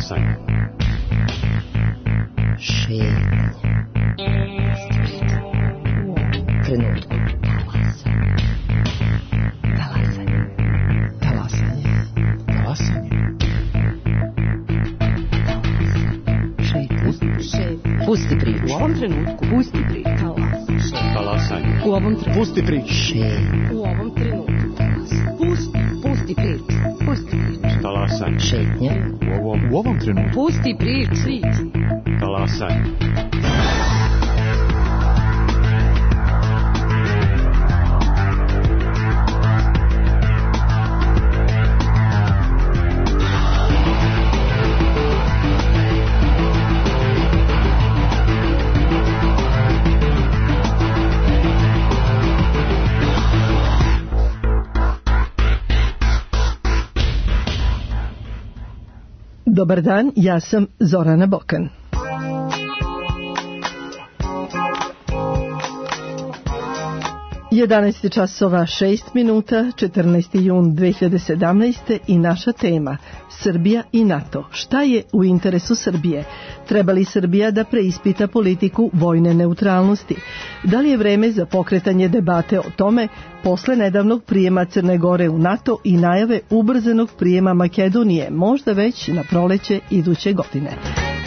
Talasanje. Šetnje. Trenutku. Talasanje. Talasanje. Talasanje. Pusti priču. U ovom trenutku. Pusti priču. Talasanje. U ovom trenutku. Pusti priču. U ovom trenutku. Pusti priču. Pusti priču. Talasanje. Šetnje. U ovom trenutku. Pusti priču. Talasanje. Dobar dan, ja sam Zorana Bokan. Jedanaest časova 6 minuta, 14. jun 2017. i naša tema Srbija i NATO. Šta je u interesu Srbije? Treba li Srbija da preispita politiku vojne neutralnosti? Da li je vreme za pokretanje debate o tome posle nedavnog prijema Crne Gore u NATO i najave ubrzanog prijema Makedonije, možda već na proleće iduće godine?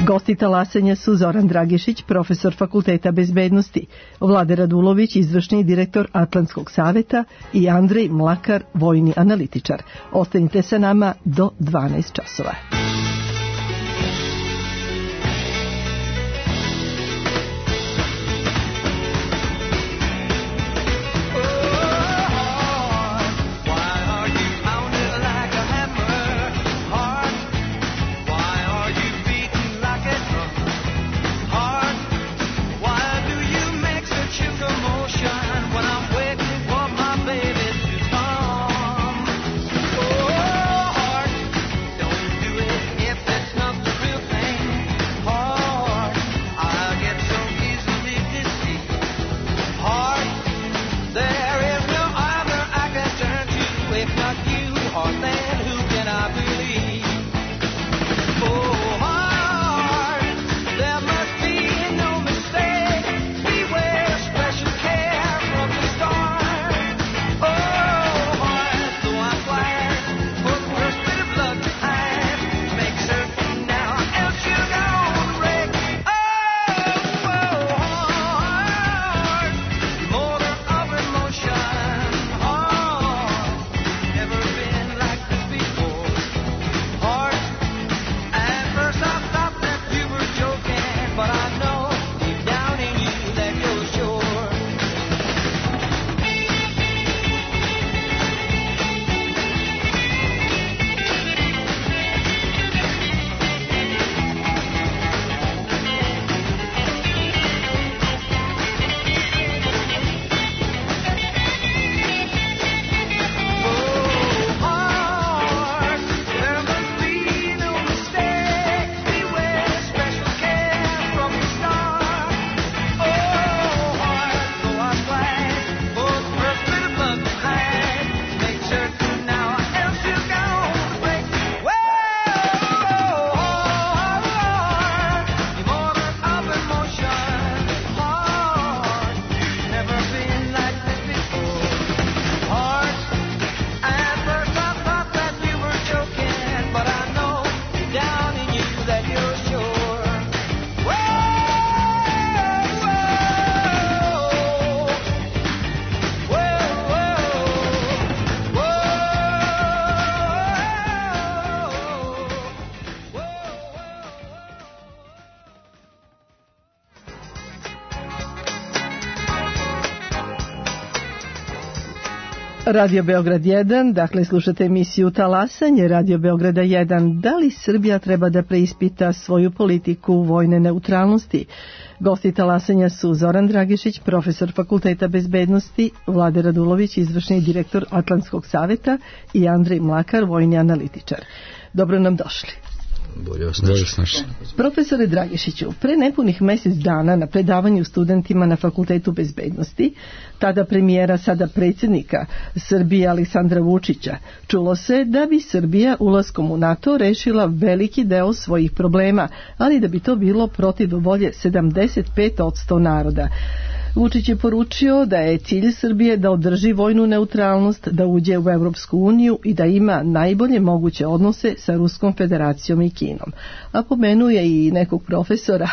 Gosti talasanja su Zoran Dragišić, profesor Fakulteta bezbednosti, Vlade Radulović, izvršni direktor Atlantskog saveta i Andrej Mlakar, vojni analitičar. Ostanite sa nama do 12 časova. Radio Beograd 1, dakle slušate emisiju Talasanje Radio Beograda 1. Da li Srbija treba da preispita svoju politiku vojne neutralnosti? Gosti talasanja su Zoran Dragišić, profesor Fakulteta bezbednosti, Vlade Radulović, izvršni direktor Atlantskog saveta i Andrej Mlakar, vojni analitičar. Dobro nam došli. bolje osnaži. Profesore Dragišiću, pre nepunih mjesec dana na predavanju studentima na Fakultetu bezbednosti, tada premijera, sada predsjednika Srbije Aleksandra Vučića, čulo se da bi Srbija ulaskom u NATO rešila veliki deo svojih problema, ali da bi to bilo protiv volje 75% naroda. Vučić je poručio da je cilj Srbije da održi vojnu neutralnost, da uđe u Evropsku uniju i da ima najbolje moguće odnose sa Ruskom federacijom i Kinom. A pomenuje i nekog profesora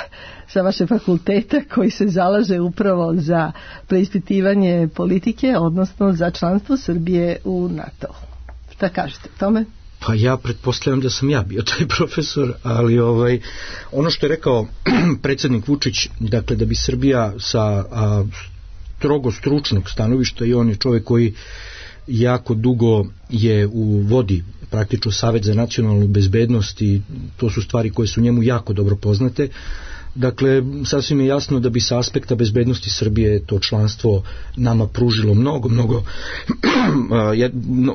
sa vašeg fakulteta koji se zalaže upravo za preispitivanje politike, odnosno za članstvo Srbije u NATO. Šta kažete o tome? Pa ja pretpostavljam da sam ja bio taj profesor, ali ono što je rekao predsjednik Vučić, dakle da bi Srbija sa strogo stručnog stanovišta, i on je čovjek koji jako dugo je u vodi praktično Savet za nacionalnu bezbednost i to su stvari koje su njemu jako dobro poznate. Dakle, sasvim je jasno da bi sa aspekta bezbednosti Srbije to članstvo nama pružilo mnogo,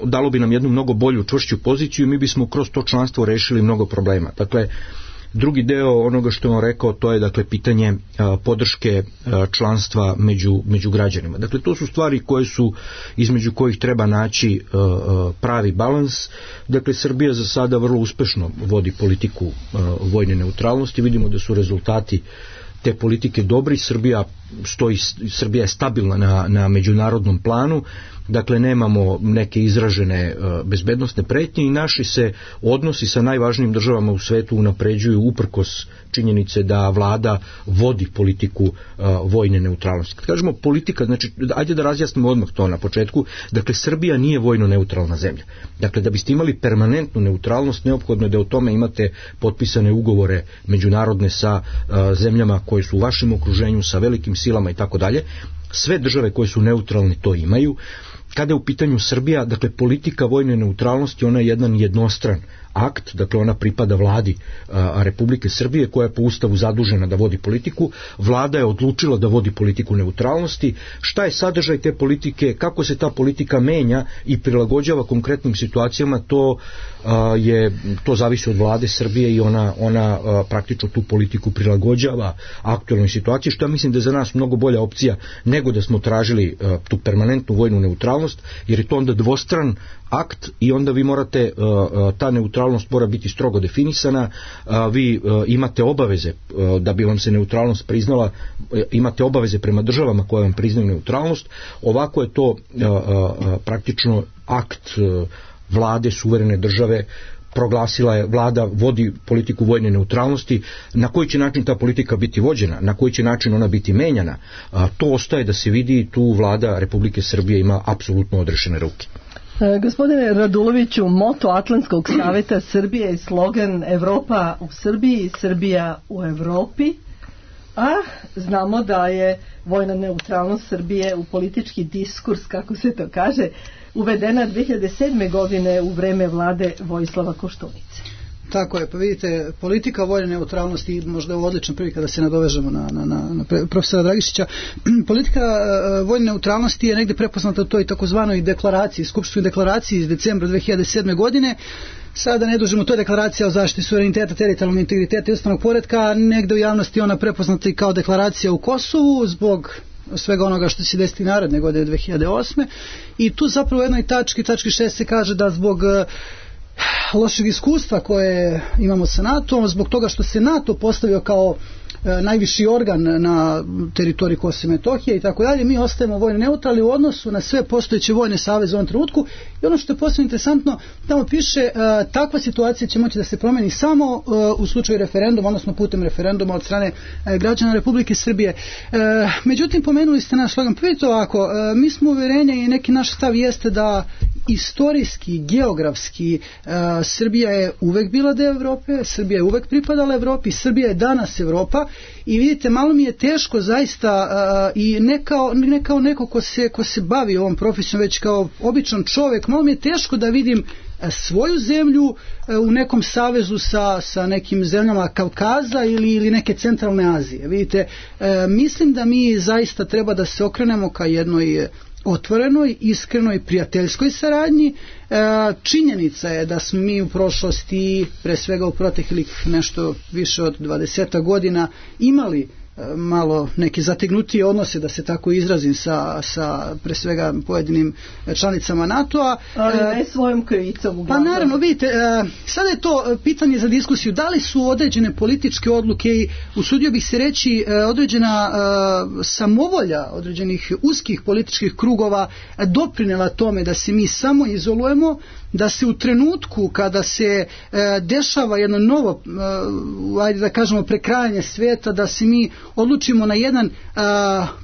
dalo bi nam jednu mnogo bolju, čvršću poziciju i mi bismo kroz to članstvo rešili mnogo problema. Dakle, drugi deo onoga što je on rekao, to je dakle pitanje podrške članstva među građanima. Dakle, to su stvari koje su, između kojih treba naći pravi balans. Dakle, Srbija za sada vrlo uspešno vodi politiku vojne neutralnosti. Vidimo da su rezultati te politike dobri. Srbija je stabilna na međunarodnom planu. Dakle, nemamo neke izražene bezbednosne pretnje i naši se odnosi sa najvažnijim državama u svetu unapređuju uprkos činjenice da vlada vodi politiku vojne neutralnosti. Kad kažemo politika, znači, ajde da razjasnimo odmah to na početku. Dakle, Srbija nije vojno neutralna zemlja. Dakle, da biste imali permanentnu neutralnost, neophodno je da o tome imate potpisane ugovore međunarodne sa zemljama koje su u vašem okruženju, sa velikim silama i tako dalje. Sve države koje su neutralne to imaju. Kada je u pitanju Srbija, dakle politika vojne neutralnosti, ona je jedan jednostran akt, dakle ona pripada vladi Republike Srbije koja je po Ustavu zadužena da vodi politiku. Vlada je odlučila da vodi politiku neutralnosti. Šta je sadržaj te politike, kako se ta politika menja i prilagođava konkretnim situacijama, to zavisi od vlade Srbije i ona praktično tu politiku prilagođava aktualnoj situaciji, što ja mislim da je za nas mnogo bolja opcija nego da smo tražili tu permanentnu vojnu neutralnost, jer je to onda dvostran akt i onda vi morate, ta neutralnost mora biti strogo definisana, vi imate obaveze da bi vam se neutralnost priznala, imate obaveze prema državama koje vam priznaju neutralnost. Ovako je to praktično akt vlade suverene države, proglasila je, vlada vodi politiku vojne neutralnosti. Na koji će način ta politika biti vođena, na koji će način ona biti menjana, to ostaje da se vidi. Tu vlada Republike Srbije ima apsolutno odrešene ruke. Gospodine Raduloviću, moto Atlantskog saveta Srbije je slogan Evropa u Srbiji, Srbija u Evropi, a znamo da je vojna neutralnost Srbije u politički diskurs, kako se to kaže, uvedena 2007. godine u vreme vlade Vojislava Koštunice. Tako je, pa vidite, politika vojne neutralnosti, možda je ovo odlična prilika da se nadovežemo na profesora Dragišića. Politika vojne neutralnosti je negdje prepoznata u toj takozvanoj deklaraciji, skupštinskoj deklaraciji iz decembra 2007. godine. Sada ne dužimo, to je deklaracija o zaštiti suvereniteta, teritorijalnog integriteta i ustavnog poretka. Negdje u javnosti ona prepoznata i kao deklaracija u Kosovu zbog svega onoga što se desiti naredne godine 2008. I tu zapravo u jednoj tački 6 se kaže da zbog lošeg iskustva koje imamo sa NATO-om, zbog toga što se NATO postavio kao najviši organ na teritoriji Kosova i Metohije i tako dalje, mi ostajemo vojno neutralni u odnosu na sve postojeće vojne saveze u ovom trenutku. I ono što je posebno interesantno, tamo piše takva situacija će moći da se promeni samo u slučaju referenduma, odnosno putem referenduma od strane građana Republike Srbije. Međutim, pomenuli ste naš slogan. Vidite ovako, mi smo uvjerenja i neki naš stav jeste da istorijski, geografski Srbija je uvek bila deo Evrope, Srbija je uvek pripadala Evropi, Srbija je danas Evropa. I vidite, malo mi je teško zaista i ne kao neko ko se bavi ovom profesijom, već kao običan čovjek, malo mi je teško da vidim svoju zemlju u nekom savezu sa nekim zemljama Kavkaza ili neke centralne Azije. Vidite, mislim da mi zaista treba da se okrenemo ka jednoj otvorenoj, iskrenoj, prijateljskoj saradnji. Činjenica je da smo mi u prošlosti, pre svega u proteklih nešto više od 20 godina, imali malo neke zategnutije odnose, da se tako izrazim, sa pre svega pojedinim članicama NATO-a. Ali ne svojom krivicom. Pa naravno, vidite, sada je to pitanje za diskusiju. Da li su određene političke odluke i usudio bih se reći određena samovolja određenih uskih političkih krugova doprinela tome da se mi samo izolujemo, da se u trenutku kada se dešava jedno novo, ajde da kažemo, prekrajanje svijeta, da se mi odlučimo na jedan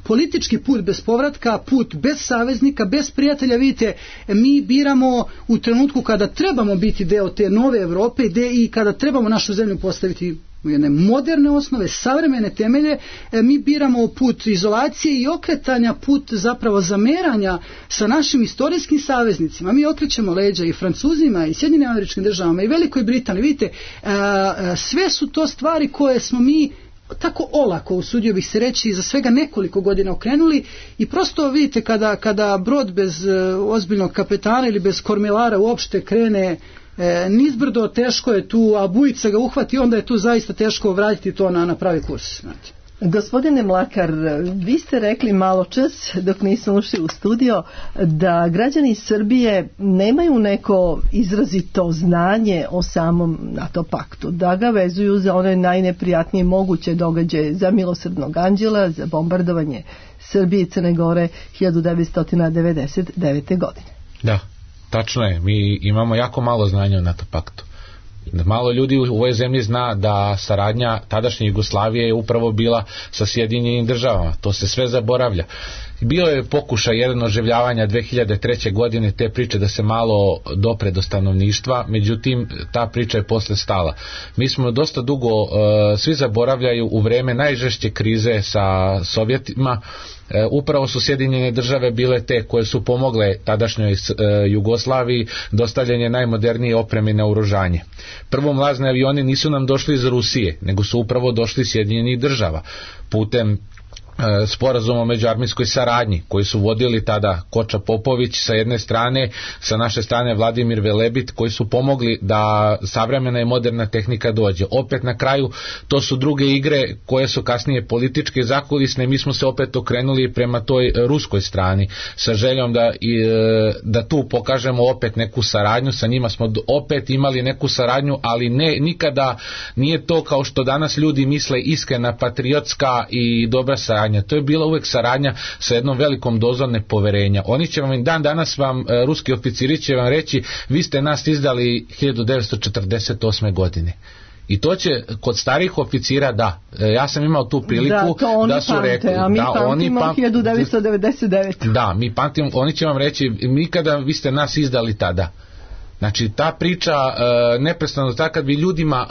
politički put bez povratka, put bez saveznika, bez prijatelja. Vidite, mi biramo u trenutku kada trebamo biti deo te nove Evrope i kada trebamo našu zemlju postaviti u jedne moderne osnove, savremene temelje, mi biramo put izolacije i okretanja, put zapravo zameranja sa našim istorijskim saveznicima. Mi okrećemo leđa i Francuzima i Sjedinjenim Američkim Državama i Velikoj Britaniji. Vidite, sve su to stvari koje smo mi tako olako, usudio bih se reći, za svega nekoliko godina okrenuli i prosto vidite kada brod bez ozbiljnog kapetana ili bez kormilara uopšte krene nizbrdo, teško je tu, a bujica ga uhvati, onda je tu zaista teško vratiti to na pravi kurs. Znate. Gospodine Mlakar, vi ste rekli malo čas, dok nismo ušli u studio, da građani Srbije nemaju neko izrazito znanje o samom NATO paktu, da ga vezuju za one najneprijatnije moguće događaje, za Milosrdnog anđela, za bombardovanje Srbije i Crne Gore 1999. godine. Da, tačno je, mi imamo jako malo znanja o NATO paktu. Malo ljudi u ovoj zemlji zna da saradnja tadašnje Jugoslavije je upravo bila sa Sjedinjenim Državama. To se sve zaboravlja. Bio je pokušaj jedan oživljavanja 2003. godine te priče da se malo dopre do stanovništva, međutim ta priča je posle stala. Mi smo dosta dugo, svi zaboravljaju, u vreme najžešće krize sa Sovjetima, upravo su Sjedinjene Države bile te koje su pomogle tadašnjoj Jugoslaviji dostavljanje najmodernije opreme i naoružanje. Prvo, mlazni avioni nisu nam došli iz Rusije, nego su upravo došli iz Sjedinjenih Država putem sporazum o međuarmijskoj saradnji koji su vodili tada Koča Popović sa jedne strane, sa naše strane Vladimir Velebit, koji su pomogli da savremena i moderna tehnika dođe. Opet na kraju to su druge igre koje su kasnije političke i zakulisne. Mi smo se opet okrenuli prema toj ruskoj strani sa željom da tu pokažemo opet neku saradnju. Sa njima smo opet imali neku saradnju, ali nikada nije to kao što danas ljudi misle iskrena, patriotska i dobra saradnja. To je bila uvek saradnja sa jednom velikom dozom nepoverenja. Oni će vam danas ruski oficiri će vam reći, vi ste nas izdali 1948. godine. I to će kod starih oficira, da. Ja sam imao tu priliku da su rekli. A mi pamtimo 1999. Da, mi pamtimo, oni će vam reći, nikada vi ste nas izdali tada. Znači ta priča neprestano, tako kad bi ljudima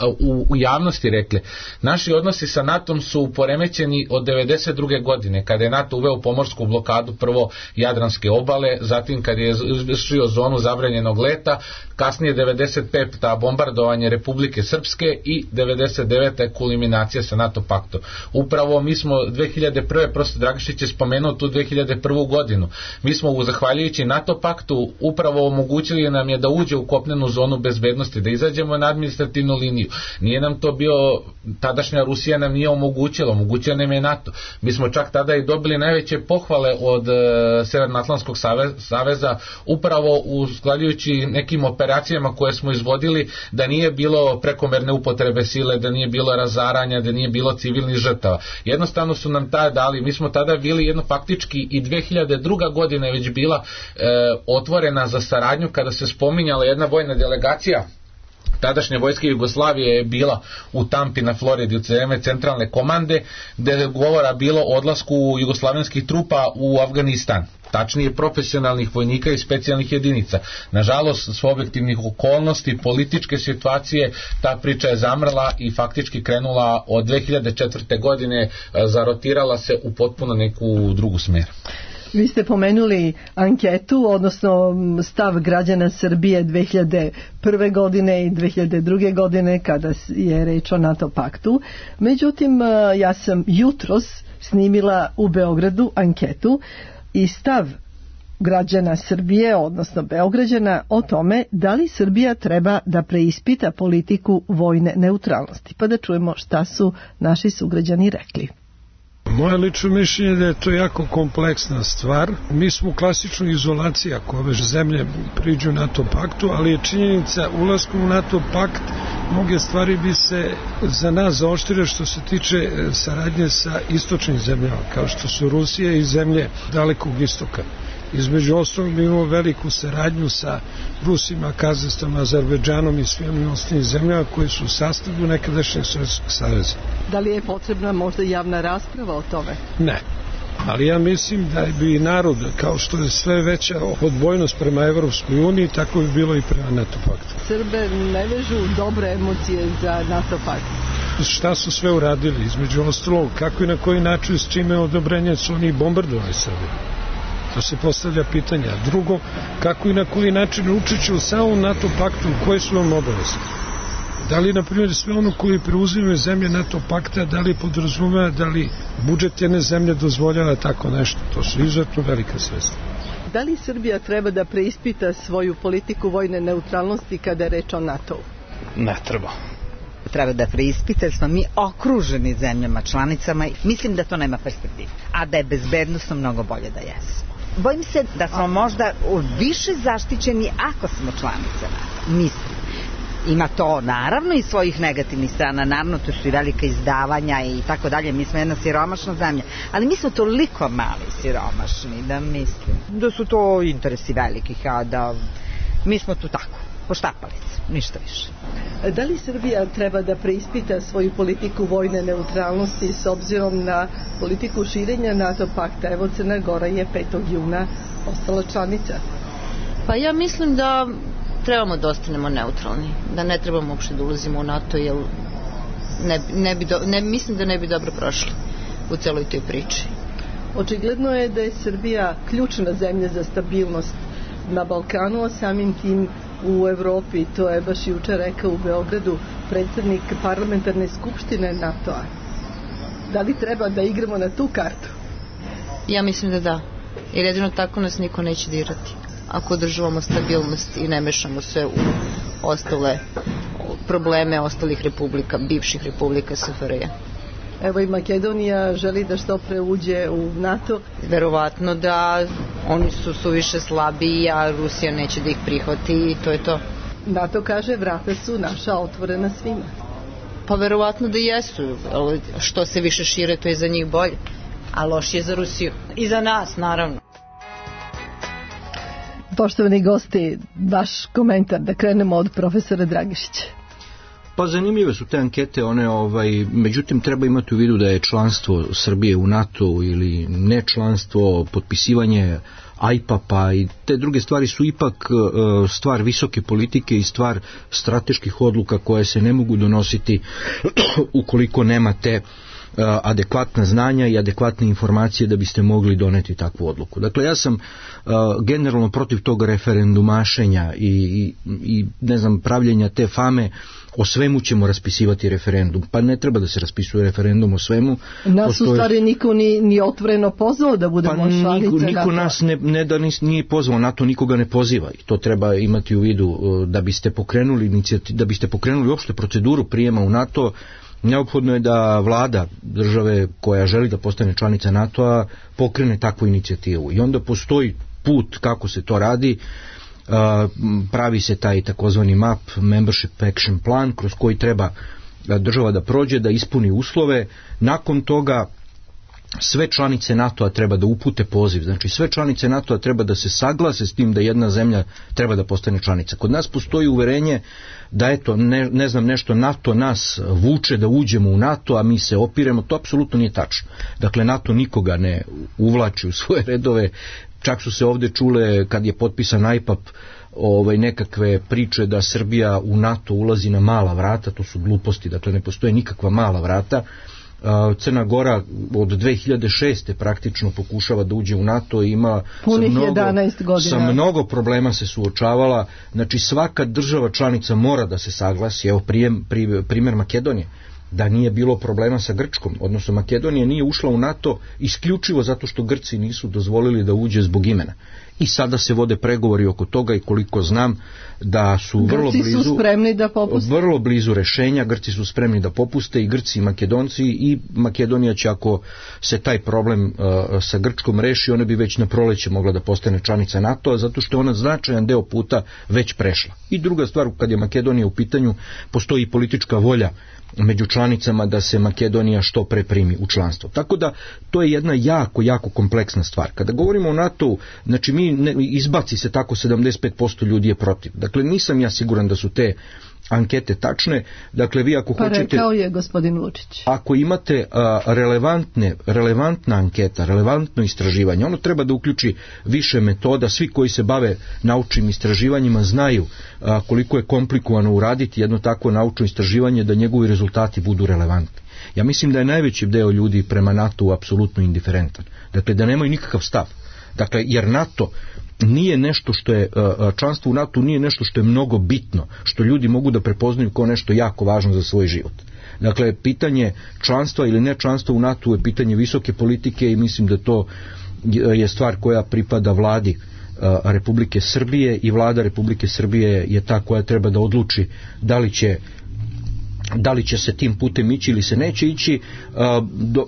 u javnosti rekli, naši odnosi sa NATO-om su poremećeni od 92. godine kada je NATO uveo pomorsku blokadu prvo Jadranske obale, zatim kad je izvršio zonu zabranjenog leta, kasnije 95. bombardovanje Republike Srpske i 99. kulminacija sa NATO paktom. Upravo mi smo 2001. prosto Dragišić je spomenuo tu 2001. godinu. Mi smo zahvaljujući NATO paktu upravo omogućili nam je da uđe u kopnenu zonu bezbednosti, da izađemo na administrativnu liniju. Nije nam to bio, tadašnja Rusija nam nije omogućila nam je NATO. Mi smo čak tada i dobili najveće pohvale od Severnoatlantskog saveza upravo usklađujući nekim operacijama koje smo izvodili, da nije bilo prekomerne upotrebe sile, da nije bilo razaranja, da nije bilo civilnih žrtava. Jednostavno su nam tada dali, mi smo tada bili jedno faktički i 2002. godina je već bila otvorena za saradnju kada se spominjala jedna vojna delegacija tadašnje vojske Jugoslavije je bila u Tampi na Floridi u vreme centralne komande, gde je govora bilo o odlasku jugoslavenskih trupa u Afganistan, tačnije profesionalnih vojnika i specijalnih jedinica. Nažalost, s objektivnih okolnosti, političke situacije, ta priča je zamrla i faktički krenula od 2004. godine, zarotirala se u potpuno neku drugu smer. Vi ste pomenuli anketu, odnosno stav građana Srbije 2001. godine i 2002. godine kada je reč o NATO paktu. Međutim, ja sam jutros snimila u Beogradu anketu i stav građana Srbije, odnosno Beograđana, o tome da li Srbija treba da preispita politiku vojne neutralnosti. Pa da čujemo šta su naši sugrađani rekli. Moje lično mišljenje je da je to jako kompleksna stvar. Mi smo u klasičnoj izolaciji ako ove zemlje priđu NATO paktu, ali je činjenica ulaskom u NATO pakt mnoge stvari bi se za nas zaoštrile što se tiče saradnje sa istočnim zemljama, kao što su Rusija i zemlje dalekog istoka. Između ostalog mi imamo veliku saradnju sa Rusima, Kazahstanom, Azerbejdžanom i svim ostalim zemljama koji su u sastavu nekadašnjeg Sovjetskog saveza. Da li je potrebna možda javna rasprava o tome? Ne. Ali ja mislim da bi narod, kao što je sve veća odbojnost prema Evropskoj uniji, tako bi bilo i prema NATO paktu. Srbe ne vežu dobre emocije za NATO pakt. Šta su sve uradili? Između ostalog, kako i na koji način, s čime odobrenje su oni bombardovali Srbiju? To se postavlja pitanja. Drugo, kako i na koji način učeći u samom NATO paktu, koje su vam obaveze? Da li, na primjer, sve ono koji preuzimaju zemlje NATO pakta, da li podrazumeva, da li budžet jedne zemlje dozvoljava tako nešto? To su izuzetno velika sredstva. Da li Srbija treba da preispita svoju politiku vojne neutralnosti kada je reč o NATO-u? Ne treba. Treba da preispita jer smo mi okruženi zemljama članicama i mislim da to nema perspektive. A da je bezbednosno mnogo bolje da jesmo. Bojim se da smo možda više zaštićeni ako smo članice NATO. Mislim. Ima to naravno i svojih negativnih strana, naravno to su i velika izdavanja i tako dalje, mi smo jedna siromašna zemlja, ali mi smo toliko mali siromašni da mislim da su to interesi velikih, a da mi smo tu tako, poštapalice, ništa više. Da li Srbija treba da preispita svoju politiku vojne neutralnosti s obzirom na politiku širenja NATO pakta? Evo, Crna Gora je 5. juna ostala članica. Pa ja mislim da trebamo da ostanemo neutralni, da ne trebamo uopšte da ulazimo u NATO, jer mislim da ne bi dobro prošli u celoj toj priči. Očigledno je da je Srbija ključna zemlja za stabilnost na Balkanu, a samim tim u Evropi. To je baš juče rekao u Beogradu predsjednik parlamentarne skupštine NATO-a. Da li treba da igramo na tu kartu? Ja mislim da da, jer jedino tako nas niko neće dirati. Ako održavamo stabilnost i ne mešamo se u ostale probleme ostalih republika, bivših republika SFRJ. Evo i Makedonija želi da što pre uđe u NATO. Verovatno da oni su suviše slabiji, a Rusija neće da ih prihvati i to je to. NATO kaže vrata su naša otvorena svima. Pa verovatno da jesu, što se više šire to je za njih bolje, a lošije za Rusiju. I za nas naravno. Poštovani gosti, vaš komentar, da krenemo od profesora Dragišića. Pa zanimljive su te ankete, međutim treba imati u vidu da je članstvo Srbije u NATO ili ne članstvo, potpisivanje AIPA-a i te druge stvari su ipak stvar visoke politike i stvar strateških odluka koje se ne mogu donositi ukoliko nemate adekvatna znanja i adekvatne informacije da biste mogli doneti takvu odluku. Dakle, ja sam generalno protiv tog referendumašenja i ne znam, pravljenja te fame o svemu ćemo raspisivati referendum. Pa ne treba da se raspisuje referendum o svemu. Nas u stvari niko ni otvoreno pozvao da budemo članice. Niko nas nije pozvao, NATO nikoga ne poziva i to treba imati u vidu. Da biste pokrenuli uopšte proceduru prijema u NATO, neophodno je da vlada države koja želi da postane članica NATO-a pokrene takvu inicijativu i onda postoji put kako se to radi. Pravi se taj takozvani MAP, Membership Action Plan, kroz koji treba država da prođe, da ispuni uslove. Nakon toga sve članice NATO-a treba da upute poziv, znači sve članice NATO-a treba da se saglase s tim da jedna zemlja treba da postane članica. Kod nas postoji uverenje da eto, ne znam nešto, NATO nas vuče da uđemo u NATO, a mi se opiremo, to apsolutno nije tačno. Dakle, NATO nikoga ne uvlači u svoje redove, čak su se ovdje čule kad je potpisan AIPAP nekakve priče da Srbija u NATO ulazi na mala vrata, to su gluposti, dakle ne postoje nikakva mala vrata. Crna Gora od 2006. praktično pokušava da uđe u NATO i ima sa mnogo problema se suočavala. Znači svaka država članica mora da se saglasi. Evo primjer Makedonije, da nije bilo problema sa Grčkom, odnosno Makedonija nije ušla u NATO isključivo zato što Grci nisu dozvolili da uđe zbog imena. i sada se vode pregovori oko toga i koliko znam da su vrlo Grci blizu, su spremni da popuste. Vrlo blizu rešenja, Grci su spremni da popuste, i Grci i Makedonci, i Makedonija će, ako se taj problem sa Grčkom reši, ona bi već na proleće mogla da postane članica NATO-a, zato što je ona značajan deo puta već prešla. I druga stvar, kad je Makedonija u pitanju, postoji i politička volja među članicama da se Makedonija što pre primi u članstvo. Tako da to je jedna jako kompleksna stvar. Kada govorimo o NATO-u, znači izbaci se tako 75% ljudi je protiv. Dakle, nisam ja siguran da su te ankete tačne. Dakle, vi ako hoćete... rekao je gospodin Vučić. Ako imate relevantna anketa, relevantno istraživanje, ono treba da uključi više metoda. Svi koji se bave naučnim istraživanjima znaju koliko je komplikovano uraditi jedno takvo naučno istraživanje da njegovi rezultati budu relevantni. Ja mislim da je najveći deo ljudi prema NATO-u apsolutno indiferentan. Dakle, da nemaju nikakav stav. Dakle, jer NATO nije nešto što je, članstvo u NATO nije nešto što je mnogo bitno, što ljudi mogu da prepoznaju kao nešto jako važno za svoj život. Dakle, pitanje članstva ili ne članstva u NATO je pitanje visoke politike i mislim da to je stvar koja pripada vladi Republike Srbije, i vlada Republike Srbije je ta koja treba da odluči da li će se tim putem ići ili se neće ići.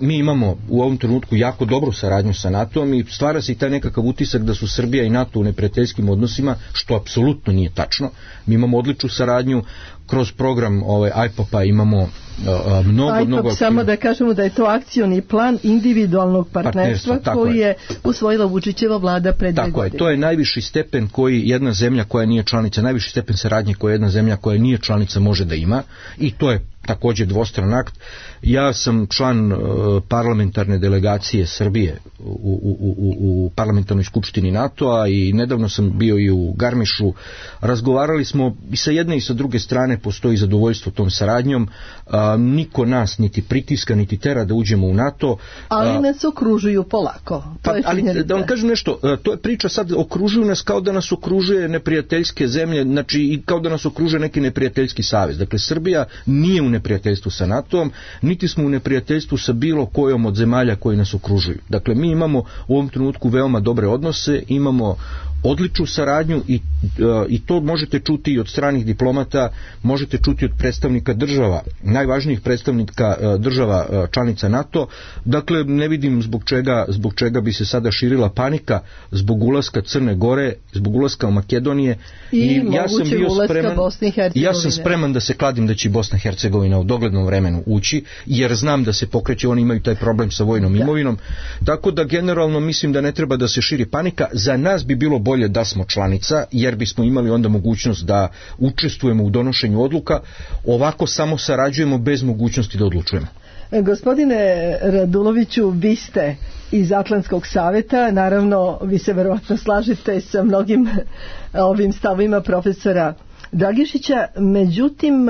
Mi imamo u ovom trenutku jako dobru saradnju sa NATO-om i stvara se i taj nekakav utisak da su Srbija i NATO u neprijateljskim odnosima, što apsolutno nije tačno. Mi imamo odličnu saradnju kroz program IPOP-a, imamo mnogo... Samo da kažemo da je to akcioni plan individualnog partnerstva koji je usvojila Vučićeva vlada pre 2 godine. Tako je, to je najviši stepen koji jedna zemlja koja nije članica, najviši stepen saradnje koji jedna zemlja koja nije članica može da ima, i to je također dvostran akt. Ja sam član parlamentarne delegacije Srbije u parlamentarnoj skupštini NATO-a i nedavno sam bio i u Garmišu. Razgovarali smo i sa jedne i sa druge strane, postoji zadovoljstvo tom saradnjom. Niko nas niti pritiska niti tera da uđemo u NATO. Ali nas okružuju polako. Ali da vam kažem nešto, to je priča sad, okružuju nas kao da nas okružuje neprijateljske zemlje, znači i kao da nas okružuje neki neprijateljski savez. Dakle, Srbija nije u neprijateljstvu sa NATO-om, niti smo u neprijateljstvu sa bilo kojom od zemalja koji nas okružuju. Dakle, mi imamo u ovom trenutku veoma dobre odnose, imamo odličnu saradnju i to možete čuti i od stranih diplomata, možete čuti od predstavnika država, najvažnijih predstavnika država članica NATO. Dakle, ne vidim zbog čega bi se sada širila panika zbog ulaska Crne Gore, zbog ulaska Makedonije, i ja sam bio spreman, ja sam spreman da se kladim da će Bosna i Hercegovina u doglednom vremenu ući, jer znam da se pokreće, oni imaju taj problem sa vojnom imovinom, tako da generalno mislim da ne treba da se širi panika. Za nas bi bilo bolje da smo članica, jer bismo imali onda mogućnost da učestvujemo u donošenju odluka. Ovako samo sarađujemo bez mogućnosti da odlučujemo. Gospodine Raduloviću, vi ste iz Atlantskog saveta, naravno vi se verovatno slažete sa mnogim ovim stavima profesora Dragišića, međutim,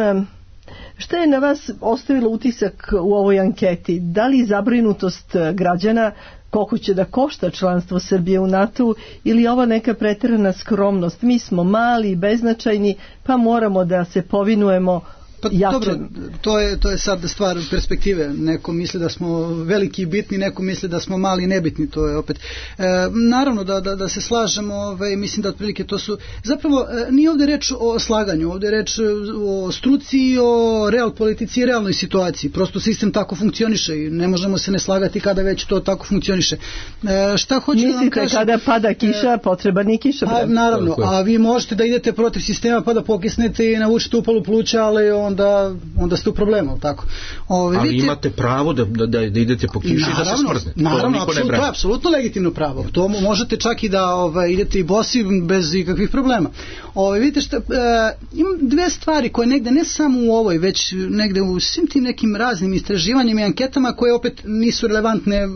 šta je na vas ostavilo utisak u ovoj anketi? Da li zabrinutost građana koliko će da košta članstvo Srbije u NATO-u, ili ova neka preterana skromnost? Mi smo mali i beznačajni, pa moramo da se povinujemo jačem. Dobro, to je sad stvar perspektive. Neko misli da smo veliki i bitni, neko misli da smo mali i nebitni. To je opet naravno da se slažemo, mislim da otprilike to su zapravo, nije ovdje reč o slaganju, ovdje je reč o struci i o real politici i realnoj situaciji. Prosto sistem tako funkcioniše i ne možemo se ne slagati kada već to tako funkcioniše. Šta hoću da vam kažem? Mislite kada pada kiša, potreban i kiša? Naravno, a vi možete da idete protiv sistema pa da pokisnete i navučete upalu pluća, ali onda ste u problemu, tako. Ali vidite, imate pravo da idete po kiši i da se smrznete. Naravno, to je apsolutno legitimno pravo. To možete čak i da idete i bosi bez ikakvih problema. Vidite šta, imam 2 stvari koje negde, ne samo u ovoj, već negde u svim tim nekim raznim istraživanjima i anketama koje opet nisu relevantne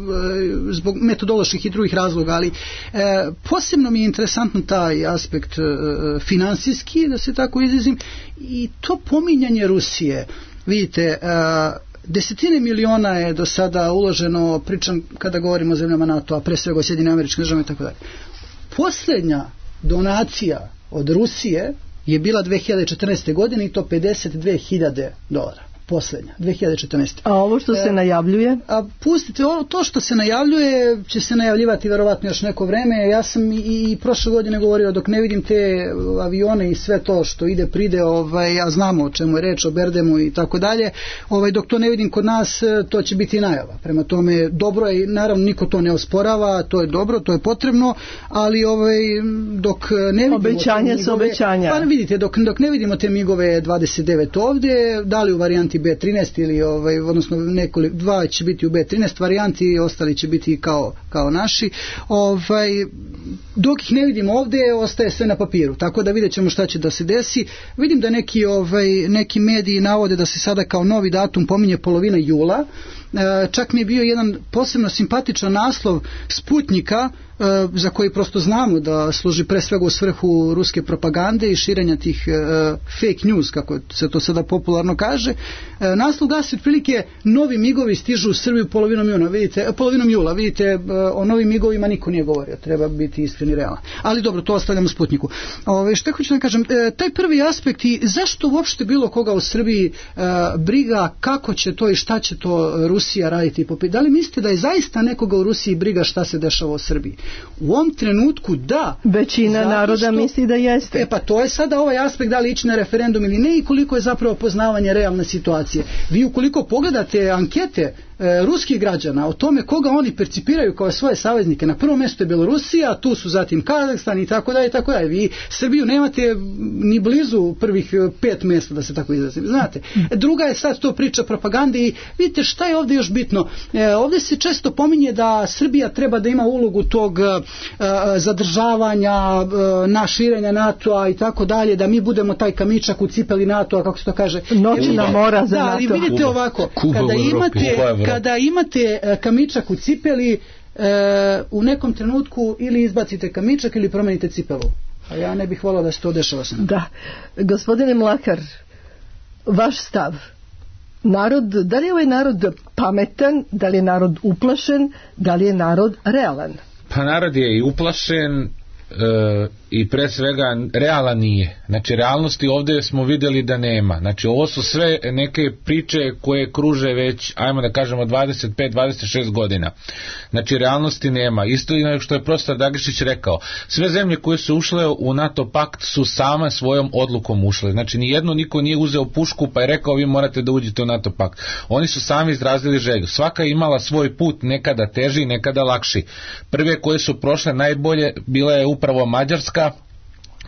zbog metodoloških i drugih razloga, ali posebno mi je interesantno taj aspekt finansijski, da se tako izrazim, i to pominjanje Rusije. Vidite, desetine miliona je do sada uloženo, pričam kada govorimo o zemljama NATO, a pre svega o Sjedinjenim Američkim Državama i tako dalje. Posljednja donacija od Rusije je bila 2014. godine i to $52.000. poslednja, 2014. A ovo što se najavljuje? A pustite, to što se najavljuje će se najavljivati verovatno još neko vreme. Ja sam i prošle godine govorio, dok ne vidim te avione i sve to što ide pride, a znamo o čemu je reč, o Berdemu i tako dalje, dok to ne vidim kod nas, to će biti najava. Prema tome, dobro je, naravno niko to ne osporava, to je dobro, to je potrebno, ali dok ne vidimo obećanja su obećanja. Pa vidite, dok ne vidimo te MiG-ove 29 ovdje, da li u varijanti B13 ili odnosno dva će biti u B13 varijanti, ostali će biti kao naši. Dok ih ne vidimo ovdje, ostaje sve na papiru. Tako da vidjet ćemo šta će da se desi. Vidim da neki mediji navode da se sada kao novi datum pominje polovina jula. Čak mi je bio jedan posebno simpatičan naslov Sputnika, za koji prosto znamo da služi pre svega u svrhu ruske propagande i širenja tih fake news, kako se to sada popularno kaže. Naslov glasi otprilike: novi migovi stižu u Srbiju polovinom jula. Vidite, o novim migovima niko nije govorio, treba biti iskren i realan. Ali dobro, to ostavljamo Sputniku. Što hoću da kažem, taj prvi aspekt i zašto uopšte bilo koga u Srbiji briga kako će to i šta će to Rusija raditi. Da li mislite da je zaista nekoga u Rusiji briga šta se dešava u Srbiji? U ovom trenutku da. Većina naroda misli da jeste. Pa to je sada ovaj aspekt, da li ići na referendum ili ne, i koliko je zapravo poznavanje realne situacije. Vi ukoliko pogledate ankete ruskih građana o tome koga oni percipiraju kao svoje saveznike, na prvom mjestu je Belorusija, tu su zatim Kazahstan i tako dalje, tako dalje. Vi Srbiju nemate ni blizu prvih 5 mjesta, da se tako izrazim. Znate, druga je sad to priča propagande i vidite šta je ovdje još bitno. Ovdje se često pominje da Srbija treba da ima ulogu tog zadržavanja, širenja NATO-a i tako dalje, da mi budemo taj kamičak u cipeli NATO-a, kako se to kaže. Noćna mora za NATO. Da, ali vidite ovako, kada imate kamičak u cipeli, u nekom trenutku ili izbacite kamičak ili promenite cipelu. A ja ne bih volao da se to dešava. Da. Gospodine Mlakar, vaš stav. Da li je ovaj narod pametan, da li je narod uplašen, da li je narod realan? Pa narod je i uplašen i pre svega realan nije. Znači realnosti ovdje smo vidjeli da nema. Znači ovo su sve neke priče koje kruže već, ajmo da kažemo, 25-26 godina. Znači realnosti nema. Isto što je profesor Dragišić rekao, sve zemlje koje su ušle u NATO pakt su same svojom odlukom ušle. Znači niko nije uzeo pušku pa je rekao vi morate da uđete u NATO pakt. Oni su sami izrazili želju. Svaka je imala svoj put, nekada teži, nekada lakši. Prve koje su prošle najbolje bila je upravo Mađarska,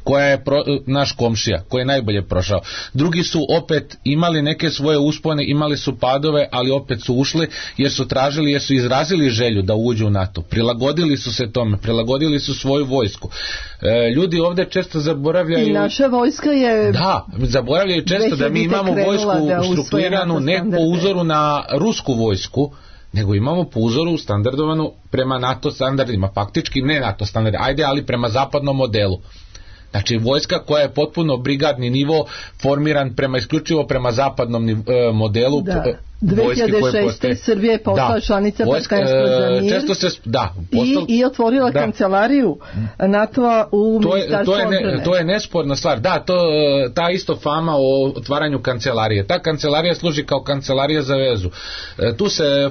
koja je naš komšija, koji je najbolje prošao. Drugi su opet imali neke svoje uspone, imali su padove, ali opet su ušli jer su izrazili želju da uđu u NATO. Prilagodili su se tome, prilagodili su svoju vojsku. Ljudi ovdje često zaboravljaju... I naša vojska je... Da, zaboravljaju često da mi imamo vojsku strukturiranu ne po uzoru na rusku vojsku, nego imamo po uzoru standardovanu prema NATO standardima, faktički ne NATO standardima, ali prema zapadnom modelu. Znači vojska koja je potpuno brigadni nivo formiran isključivo prema zapadnom modelu. Da. 2006. Srbija je postala članica Partnerstva za mir i otvorila kancelariju NATO-a u Ministarstvu odbrane. To je nesporna stvar. Da, ta isto fama o otvaranju kancelarije. Ta kancelarija služi kao kancelarija za vezu. Tu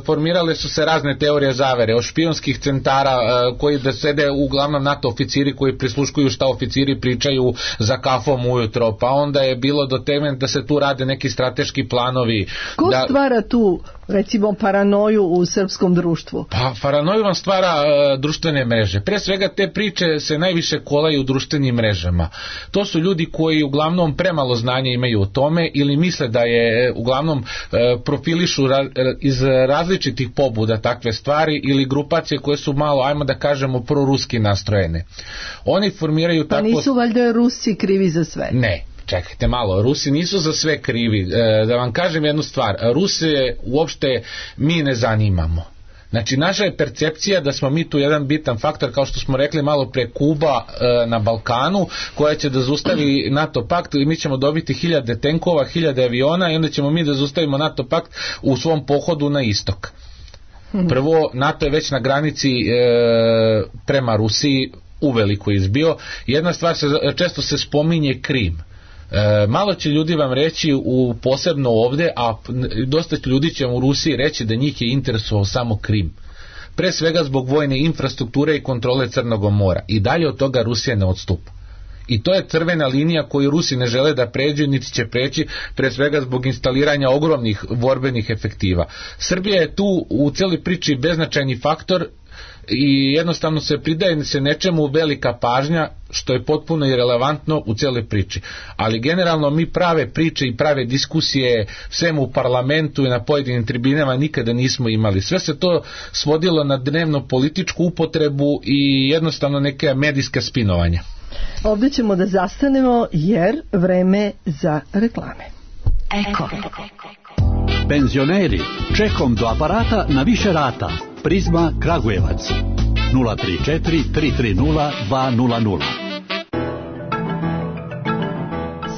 formirale su se razne teorije zavere, od špijunskih centara koji da sede uglavnom NATO oficiri koji prisluškuju šta oficiri pričaju za kafom ujutro, pa onda je bilo do teme da se tu rade neki strateški planovi. Ko stvara tu, recimo, paranoju u srpskom društvu? Pa paranoju vam stvara društvene mreže. Pre svega te priče se najviše kolaju u društvenim mrežama. To su ljudi koji uglavnom premalo znanja imaju o tome ili misle da je uglavnom profilišu iz različitih pobuda takve stvari ili grupacije koje su malo, ajmo da kažemo, proruski nastrojene. Oni formiraju Pa nisu valjda Rusi krivi za sve? Ne. Čekajte malo, Rusi nisu za sve krivi. Da vam kažem jednu stvar, Rusije uopšte mi ne zanimamo. Znači naša je percepcija da smo mi tu jedan bitan faktor, kao što smo rekli malo pre, Kuba na Balkanu, koja će da zaustavi NATO pakt i mi ćemo dobiti 1000 tenkova, 1000 aviona i onda ćemo mi da zaustavimo NATO pakt u svom pohodu na istok. Prvo, NATO je već na granici prema Rusiji uveliko izbio. Jedna stvar, često se spominje Krim. Malo će ljudi vam reći posebno ovde, a dosta ljudi će vam u Rusiji reći da njih je interesovao samo Krim. Pre svega zbog vojne infrastrukture i kontrole Crnog mora. I dalje od toga Rusija ne odstupa. I to je crvena linija koju Rusi ne žele da pređu, niti će preći, pre svega zbog instaliranja ogromnih borbenih efektiva. Srbija je tu u celoj priči beznačajni faktor i jednostavno se pridaje se nečemu velika pažnja, što je potpuno irelevantno u celoj priči. Ali generalno mi prave priče i prave diskusije svemu u parlamentu i na pojedinim tribinama nikada nismo imali. Sve se to svodilo na dnevno političku upotrebu i jednostavno neke medijske spinovanja. Ovdje ćemo da zastanemo jer vreme za reklame. Eko. Penzioneri, čekom do aparata na više rata. Prizma Kragujevac 034 330 200.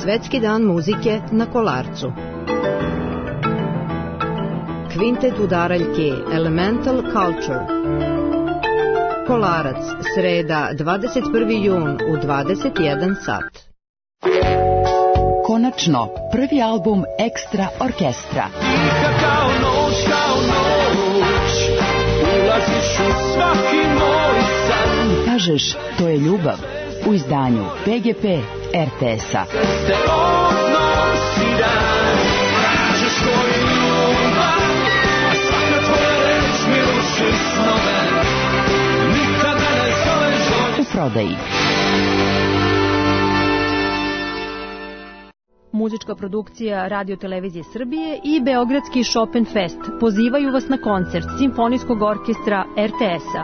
Svetski dan muzike na Kolarcu. Kvintet udaraljke Elemental Culture. Kolarac, sreda, 21. jun u 21 sat. Konačno, prvi album Ekstra orkestra. Kao noć, ulaziš u svaki moj san. Kažeš, to je ljubav, u izdanju PGP RTS-a. Te odnosi dan, kažeš to je ljubav, a svaka tvoja reč mi ruši snove. U prodaji. Muzička produkcija Radio Televizije Srbije i Beogradski Chopin Fest pozivaju vas na koncert Simfonijskog orkestra RTS-a.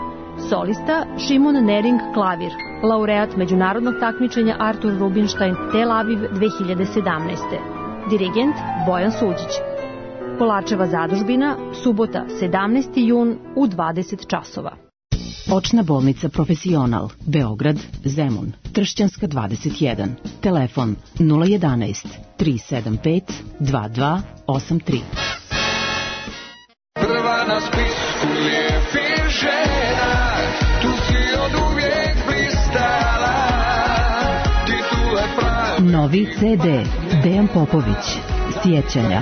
Solista Šimon Nering klavir, laureat međunarodnog takmičenja Artur Rubinstein Tel Aviv 2017. Dirigent Bojan Suđić. Kolarčeva zadužbina, subota 17. jun u 20 časova. Očna bolnica Profesional, Beograd, Zemun, Tršćanska 21, telefon 011 375 2283. Prva na spisku lijepih žena, tu si od uvijek blistala, titule pravi. Novi CD, Dejan Popović, Sjećanja.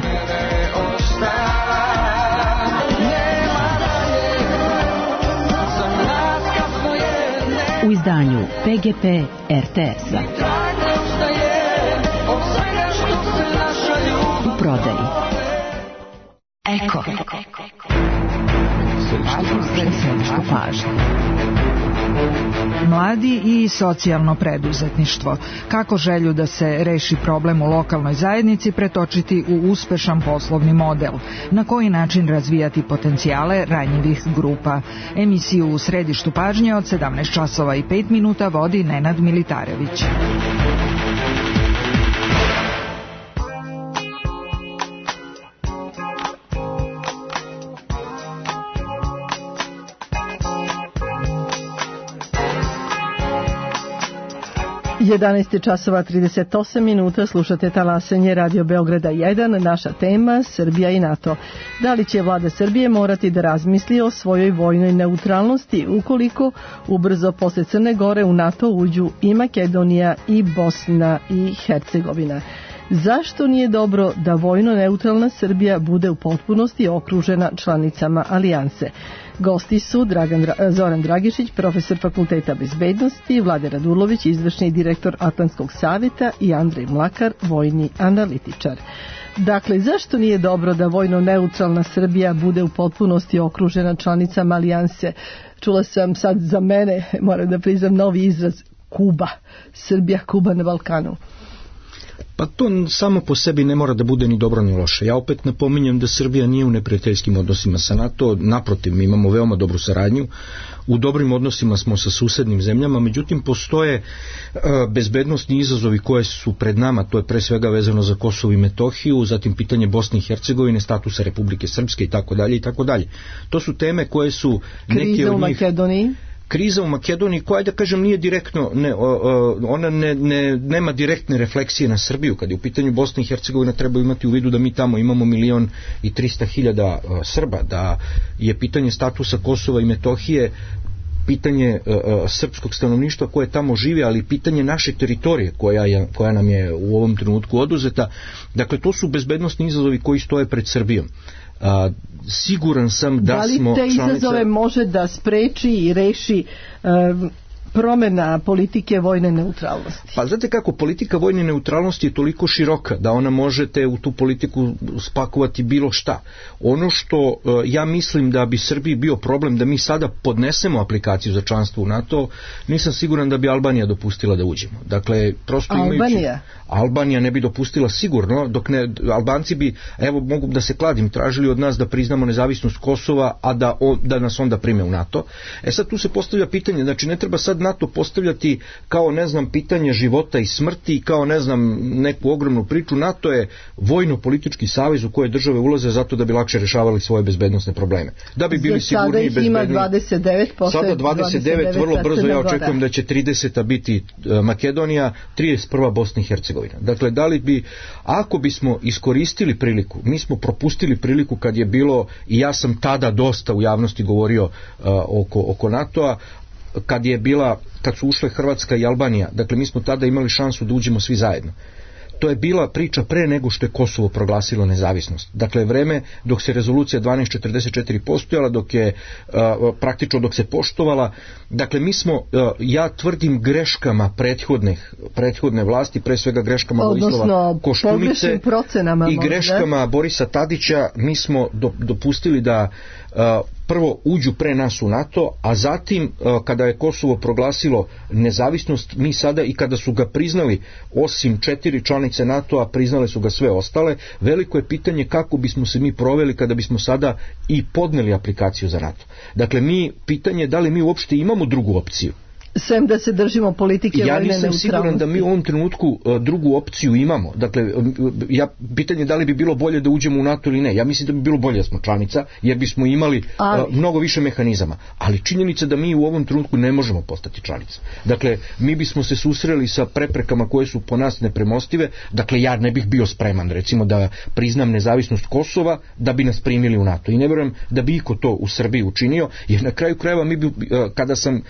U izdanju PGP RTS-a. U prodaji. Eko. Središtu pažnje. Mladi i socijalno preduzetništvo. Kako želju da se reši problem u lokalnoj zajednici pretočiti u uspešan poslovni model? Na koji način razvijati potencijale ranjivih grupa? Emisiju u središtu pažnje od 17 časova i 5 minuta vodi Nenad Militarević. Jedanaest časova 38 minuta, slušate talasanje Radio Beograda 1, naša tema Srbija i NATO. Da li će vlada Srbije morati da razmisli o svojoj vojnoj neutralnosti ukoliko ubrzo posle Crne Gore u NATO uđu i Makedonija i Bosna i Hercegovina? Zašto nije dobro da vojno neutralna Srbija bude u potpunosti okružena članicama alijanse? Gosti su Zoran Dragišić, profesor Fakulteta bezbednosti, Vlade Radulović, izvršni direktor Atlantskog savjeta i Andrej Mlakar, vojni analitičar. Dakle, zašto nije dobro da vojno neutralna Srbija bude u potpunosti okružena članicama alijanse? Čula sam sad za mene, moram da priznam, novi izraz Kuba. Srbija, Kuba na Balkanu. Pa to samo po sebi ne mora da bude ni dobro ni loše. Ja opet napominjem da Srbija nije u neprijateljskim odnosima sa NATO, naprotiv, mi imamo veoma dobru saradnju, u dobrim odnosima smo sa susednim zemljama, međutim postoje bezbednosni izazovi koje su pred nama, to je pre svega vezano za Kosovo i Metohiju, zatim pitanje Bosne i Hercegovine, statusa Republike Srpske i tako dalje i tako dalje. To su teme koje su neke kriza od u njih... Makedoniji. Kriza u Makedoniji koja, da kažem, nije direktno, ona nema direktne refleksije na Srbiju. Kad je u pitanju Bosna i Hercegovina, treba imati u vidu da mi tamo imamo 1.300.000 Srba, da je pitanje statusa Kosova i Metohije pitanje srpskog stanovništva koje tamo živi, ali pitanje naše teritorije koja nam je u ovom trenutku oduzeta. Dakle, to su bezbednosni izazovi koji stoje pred Srbijom. Siguran sam da smo te izazove može da spreči i reši promjena politike vojne neutralnosti? Pa znate kako, politika vojne neutralnosti je toliko široka da ona možete u tu politiku spakovati bilo šta. Ono što ja mislim da bi Srbiji bio problem da mi sada podnesemo aplikaciju za članstvo u NATO, nisam siguran da bi Albanija dopustila da uđemo. Dakle, prosto Albanija ne bi dopustila sigurno, dok ne, Albanci bi, evo mogu da se kladim, tražili od nas da priznamo nezavisnost Kosova, a da nas onda prime u NATO. Sad tu se postavlja pitanje, znači ne treba sad NATO postavljati kao, ne znam, pitanje života i smrti, kao, ne znam, neku ogromnu priču. NATO je vojno-politički savez u koje države ulaze zato da bi lakše rešavali svoje bezbednosne probleme. Da bi bili sigurniji i bezbedniji. Sada 29, vrlo brzo ja očekujem da će 30. biti Makedonija, 31. Bosna i Hercegovina. Dakle, da li bi, ako bismo iskoristili priliku, mi smo propustili priliku kad je bilo, i ja sam tada dosta u javnosti govorio oko NATO-a, kad su ušle Hrvatska i Albanija, dakle mi smo tada imali šansu da uđemo svi zajedno. To je bila priča pre nego što je Kosovo proglasilo nezavisnost. Dakle, vreme dok se rezolucija 1244 postojala, praktično dok se poštovala, dakle mi smo, ja tvrdim, greškama prethodne vlasti, pre svega greškama Vojislava Koštunice i greškama Borisa Tadića, mi smo dopustili da prvo uđu pre nas u NATO, a zatim kada je Kosovo proglasilo nezavisnost, mi sada, i kada su ga priznali, osim 4 članice NATO-a, priznale su ga sve ostale. Veliko je pitanje kako bismo se mi proveli kada bismo sada i podneli aplikaciju za NATO. Dakle, pitanje je da li mi uopšte imamo drugu opciju. Sem da se držimo politike vojne neutralnosti. Ja nisam siguran da mi u ovom trenutku drugu opciju imamo. Dakle, pitanje je da li bi bilo bolje da uđemo u NATO ili ne. Ja mislim da bi bilo bolje da smo članica, jer bismo imali mnogo više mehanizama. Ali činjenica da mi u ovom trenutku ne možemo postati članica. Dakle, mi bismo se susreli sa preprekama koje su po nas nepremostive. Dakle, ja ne bih bio spreman, recimo, da priznam nezavisnost Kosova da bi nas primili u NATO. I ne vjerujem da bi iko to u Srbiji učinio, jer na kraju krajeva mi bi, kada sam,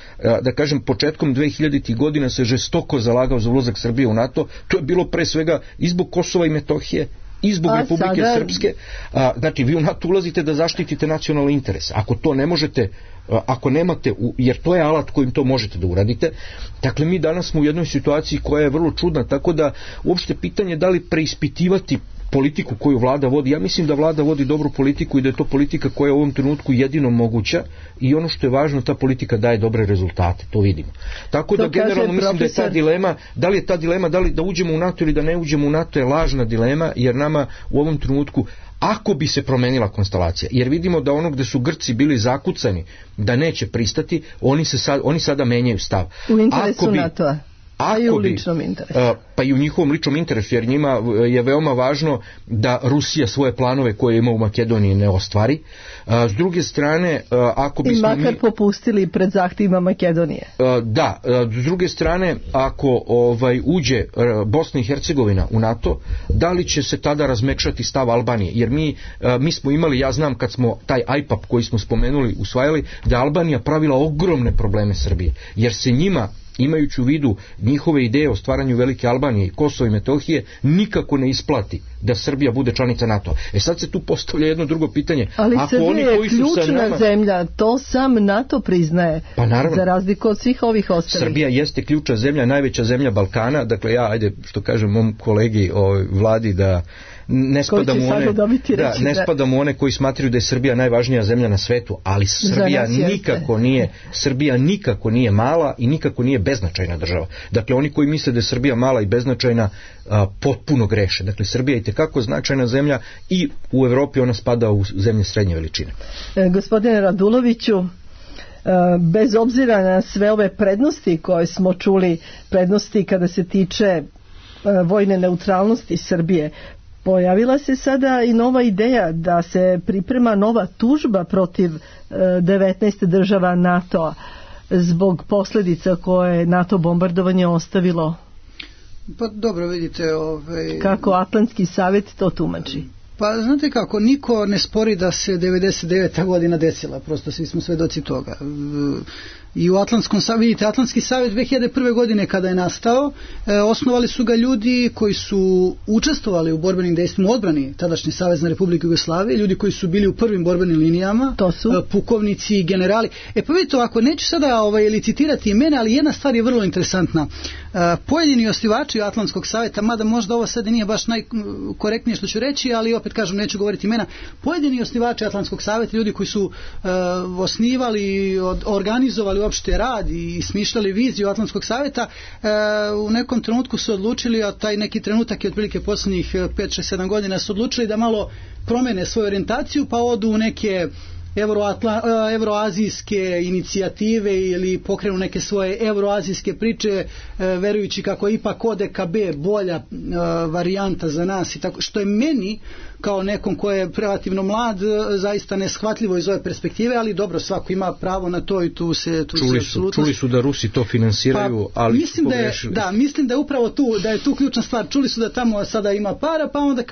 da kažem, početkom 2000. godina se žestoko zalagao za ulazak Srbije u NATO, to je bilo pre svega i zbog Kosova i Metohije, i zbog Republike Srpske. Znači, vi u NATO ulazite da zaštitite nacionalni interes. Ako to ne možete, ako nemate, jer to je alat kojim to možete da uradite. Dakle, mi danas smo u jednoj situaciji koja je vrlo čudna, tako da uopšte pitanje da li preispitivati politiku koju vlada vodi. Ja mislim da vlada vodi dobru politiku i da je to politika koja je u ovom trenutku jedino moguća, i ono što je važno, ta politika daje dobre rezultate, to vidimo. Tako da generalno mislim da je ta dilema, da li je ta dilema da li da uđemo u NATO ili da ne uđemo u NATO, je lažna dilema, jer nama u ovom trenutku, ako bi se promenila konstelacija, jer vidimo da ono gde su Grci bili zakucani da neće pristati, oni sada menjaju stav. U interesu NATO-a. Pa i u ličnom interesu. Pa i u njihovom ličnom interesu, jer njima je veoma važno da Rusija svoje planove koje ima u Makedoniji ne ostvari. S druge strane, ako bismo i makar popustili pred zahtjevima Makedonije. Da, s druge strane, ako uđe Bosna i Hercegovina u NATO, da li će se tada razmekšati stav Albanije? Jer mi smo imali, ja znam kad smo taj IPAP koji smo spomenuli usvajali, da je Albanija pravila ogromne probleme Srbije, jer se njima, imajući u vidu njihove ideje o stvaranju Velike Albanije i Kosova i Metohije, nikako ne isplati da Srbija bude članica NATO. Sad se tu postavlja jedno drugo pitanje. Ali Srbija je ključna zemlja, to sam NATO priznaje, za razliku od svih ovih ostalih. Srbija jeste ključna zemlja, najveća zemlja Balkana, dakle ja, ajde, što kažem mom kolegi Vladi, da ne spadam u one koji smatraju da je Srbija najvažnija zemlja na svetu, ali Srbija nikako nije mala i nikako nije beznačajna država. Dakle, oni koji misle da je Srbija mala i beznačajna, potpuno greše. Dakle, Srbija je itekako značajna zemlja i u Evropi ona spada u zemlje srednje veličine. Gospodine Raduloviću, bez obzira na sve ove prednosti koje smo čuli, prednosti kada se tiče vojne neutralnosti Srbije, pojavila se sada i nova ideja da se priprema nova tužba protiv 19 država NATO-a zbog posljedica koje je NATO bombardovanje ostavilo. Pa dobro, vidite... Kako Atlantski savjet to tumači? Pa znate kako, niko ne spori da se 99. godina desila, prosto svi smo svedoci toga. I u Atlantskom savetu, vidite, Atlantski savet 2001. godine kada je nastao, osnovali su ga ljudi koji su učestvovali u borbenim dejstvima u odbrani tadašnje Savezne Republike Jugoslavije, ljudi koji su bili u prvim borbenim linijama, to su pukovnici i generali. Pa vidite ovako, neću sada licitirati imena, ali jedna stvar je vrlo interesantna. Pojedini osnivači Atlantskog saveta, mada možda ovo sad nije baš najkorektnije što ću reći, ali opet kažem, neću govoriti imena, pojedini osnivači Atlantskog saveta, ljudi koji su osnivali, organizovali uopšte rad i smišljali viziju Atlantskog saveta, u nekom trenutku su odlučili, a taj neki trenutak je otprilike poslednjih 5-6-7 godina, su odlučili da malo promene svoju orijentaciju, pa odu u neke evroazijske inicijative ili pokrenu neke svoje evroazijske priče, verujući kako je ipak ODKB bolja varijanta za nas i tako, što je meni kao nekom ko je relativno mlad zaista neshvatljivo iz ove perspektive, ali dobro, svako ima pravo na to i tu se čuli su da Rusi to finansiraju, ali mislim su pogrešili. Mislim da je upravo tu, da je tu ključna stvar. Čuli su da tamo sada ima para, pa onda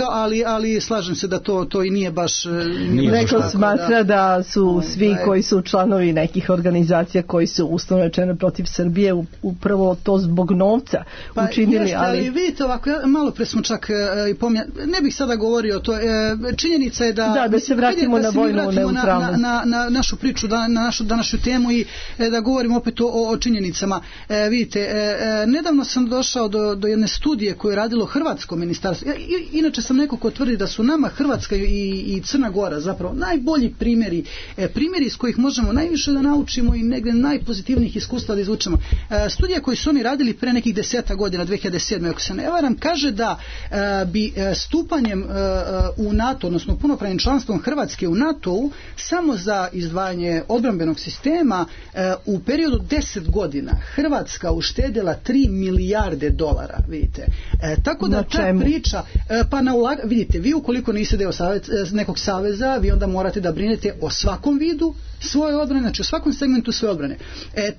ali slažem se da to i nije baš neko smatra da su svi koji su članovi nekih organizacija koji su uslovno rečeno protiv Srbije upravo to zbog novca učinili, ali vidite ovako, malo pre smo čak ne bih sada govorio o to. Činjenica je da se vratimo na vojnu neutralnost, na našu priču, na našu današnju temu i da govorimo opet o činjenicama. Vidite, nedavno sam došao do jedne studije koju je radilo Hrvatsko ministarstvo. Inače sam neko ko tvrdi da su nama Hrvatska i Crna Gora zapravo najbolji primjeri iz kojih možemo najviše da naučimo i negdje najpozitivnijih iskustva da izvučemo. Studija koju su oni radili pre nekih 10 godina, 2007. ako se ne varam, kaže da bi stupanjem u NATO, odnosno punopravnim članstvom Hrvatske u NATO-u, samo za izdvajanje odbrambenog sistema u periodu 10 godina Hrvatska uštedila 3 milijarde dolara, vidite. Tako da ta priča, vidite, vi ukoliko niste deo nekog saveza, vi onda morate da brinete o svakom vidu svoje odbrane, znači o svakom segmentu svoje odbrane.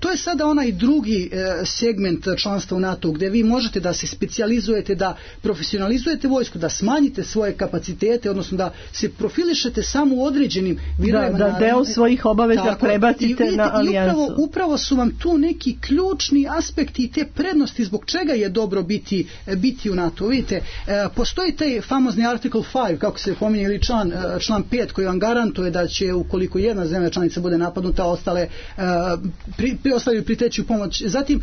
To je sada onaj drugi segment članstva u NATO gdje vi možete da se specijalizujete, da profesionalizujete vojsku, da smanjite svoje kapacitete, odnosno da se profilišete samo u određenim vidovima. Da deo svojih obaveza prebacite na alijansu. Upravo su vam tu neki ključni aspekti i te prednosti zbog čega je dobro biti u NATO. Vidite, postoji taj famozni Article 5, kako se pominje, ili član 5 koji vam garantuje da će ukoliko jedna zemlja članica bude napadnuta, ostale priteći u pomoć. Zatim,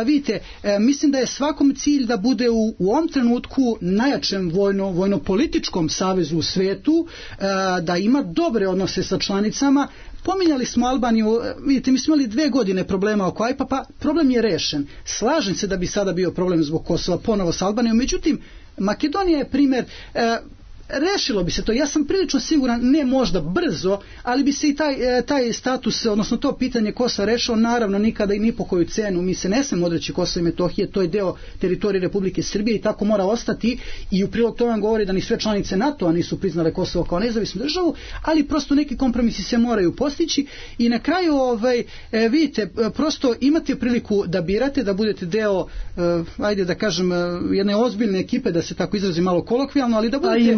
vidite, mislim da je svakom cilj da bude u ovom trenutku najjačem vojno-političkom savezu u svetu, da ima dobre odnose sa članicama. Pominjali smo Albaniju, vidite, mi smo imali 2 godine problema oko AIPA, pa problem je rešen. Slažem se da bi sada bio problem zbog Kosova ponovo sa Albanijom, međutim, Makedonija je primjer. Rešilo bi se to, ja sam prilično siguran, ne možda brzo, ali bi se i taj status, odnosno to pitanje Kosova rešilo, naravno nikada i ni po koju cenu. Mi se ne smemo odreći Kosova i Metohije, to je deo teritorije Republike Srbije i tako mora ostati, i u prilog to vam govori da ni sve članice NATO-a nisu priznale Kosovo kao nezavisnu državu, ali prosto neki kompromisi se moraju postići i na kraju vidite, prosto imate priliku da birate, da budete deo, ajde da kažem, jedne ozbiljne ekipe, da se tako izrazi malo kolokvijalno, ali da budete